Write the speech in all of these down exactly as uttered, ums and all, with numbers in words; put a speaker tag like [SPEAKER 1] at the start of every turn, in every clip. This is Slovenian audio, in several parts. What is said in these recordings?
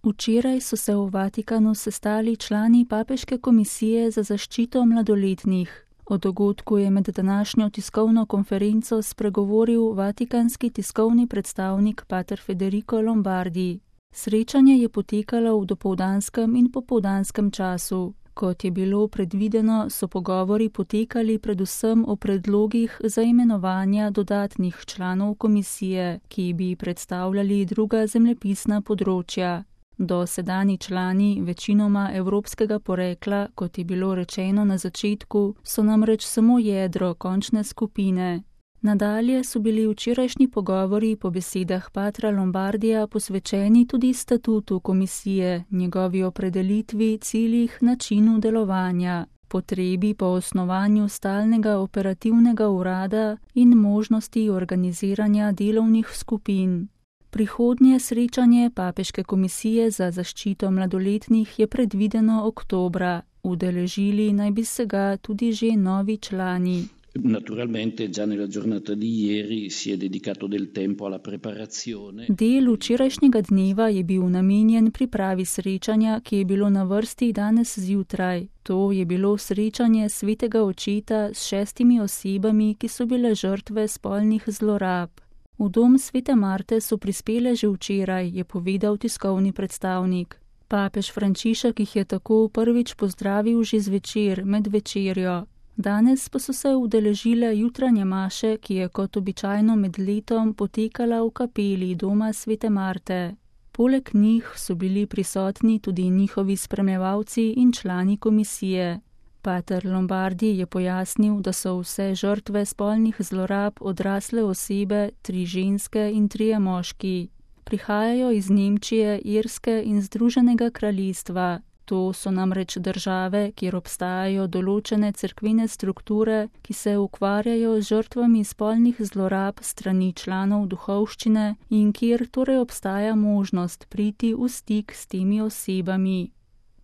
[SPEAKER 1] Včeraj so se v Vatikanu sestali člani Papeške komisije za zaščito mladoletnih. O dogodku je med današnjo tiskovno konferenco spregovoril vatikanski tiskovni predstavnik pater Federico Lombardi. Srečanje je potekalo v dopoldanskem in popoldanskem času. Kot je bilo predvideno, so pogovori potekali predvsem o predlogih za imenovanja dodatnih članov komisije, ki bi predstavljali druga zemljepisna področja. Dosedanji člani, večinoma evropskega porekla, kot je bilo rečeno na začetku, so namreč samo jedro končne skupine. Nadalje so bili včerajšnji pogovori po besedah patra Lombardija posvečeni tudi statutu komisije, njegovi opredelitvi, ciljih, načinu delovanja, potrebi po osnovanju stalnega operativnega urada in možnosti organiziranja delovnih skupin. Prihodnje srečanje Papeške komisije za zaščito mladoletnih je predvideno oktobra. Udeležili naj bi se ga tudi že novi člani.
[SPEAKER 2] Naturalmente già nella giornata di ieri si è dedicato del tempo alla preparazione.
[SPEAKER 1] Del včerajšnjega dneva je bil namenjen pripravi srečanja, ki je bilo na vrsti danes zjutraj. To je bilo srečanje svetega očeta s šestimi osebami, ki so bile žrtve spolnih zlorab. V dom svete Marte so prispele že včeraj, je povedal tiskovni predstavnik. Papež Frančišek jih je tako prvič pozdravil že zvečer med večerjo. Danes pa so se udeležile jutranje maše, ki je kot običajno med letom potekala v kapeli doma svete Marte. Poleg njih so bili prisotni tudi njihovi spremljevalci in člani komisije. Pater Lombardi je pojasnil, da so vse žrtve spolnih zlorab odrasle osebe, tri ženske in trije moški. Prihajajo iz Nemčije, Irske in Združenega kraljestva. To so namreč države, kjer obstajajo določene cerkvene strukture, ki se ukvarjajo z žrtvami spolnih zlorab strani članov duhovščine in kjer torej obstaja možnost priti v stik s temi osebami.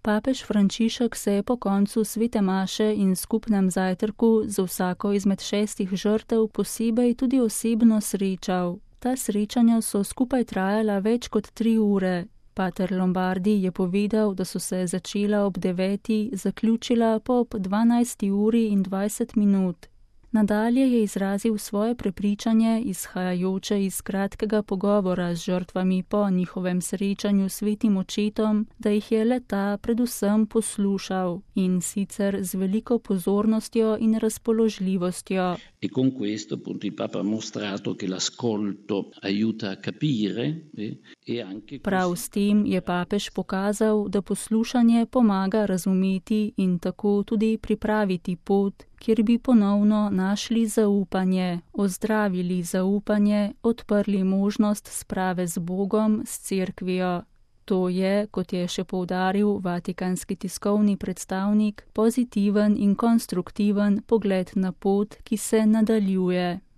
[SPEAKER 1] Papež Frančišek se je po koncu svete maše in skupnem zajtrku z vsako izmed šestih žrtev posebej tudi osebno srečal. Ta srečanja so skupaj trajala več kot tri ure. Pater Lombardi je povedal, da so se začela ob deveti, zaključila pa ob dvanajsti uri in dvajset minut. Nadalje je izrazil svoje prepričanje, izhajajoče iz kratkega pogovora z žrtvami po njihovem srečanju s svetim očetom, da jih je le-ta predvsem poslušal in sicer z veliko pozornostjo in razpoložljivostjo.
[SPEAKER 2] E con questo appunto il Papa ha mostrato che l'ascolto aiuta a capire e anche
[SPEAKER 1] Prav s tem je papež pokazal, da poslušanje pomaga razumeti in tako tudi pripraviti pot, kjer bi ponovno našli zaupanje, ozdravili zaupanje, odprli možnost sprave z Bogom, s cerkvijo. To je, kot je še poudaril vatikanski tiskovni predstavnik, pozitiven in konstruktiven pogled na pot, ki se nadaljuje.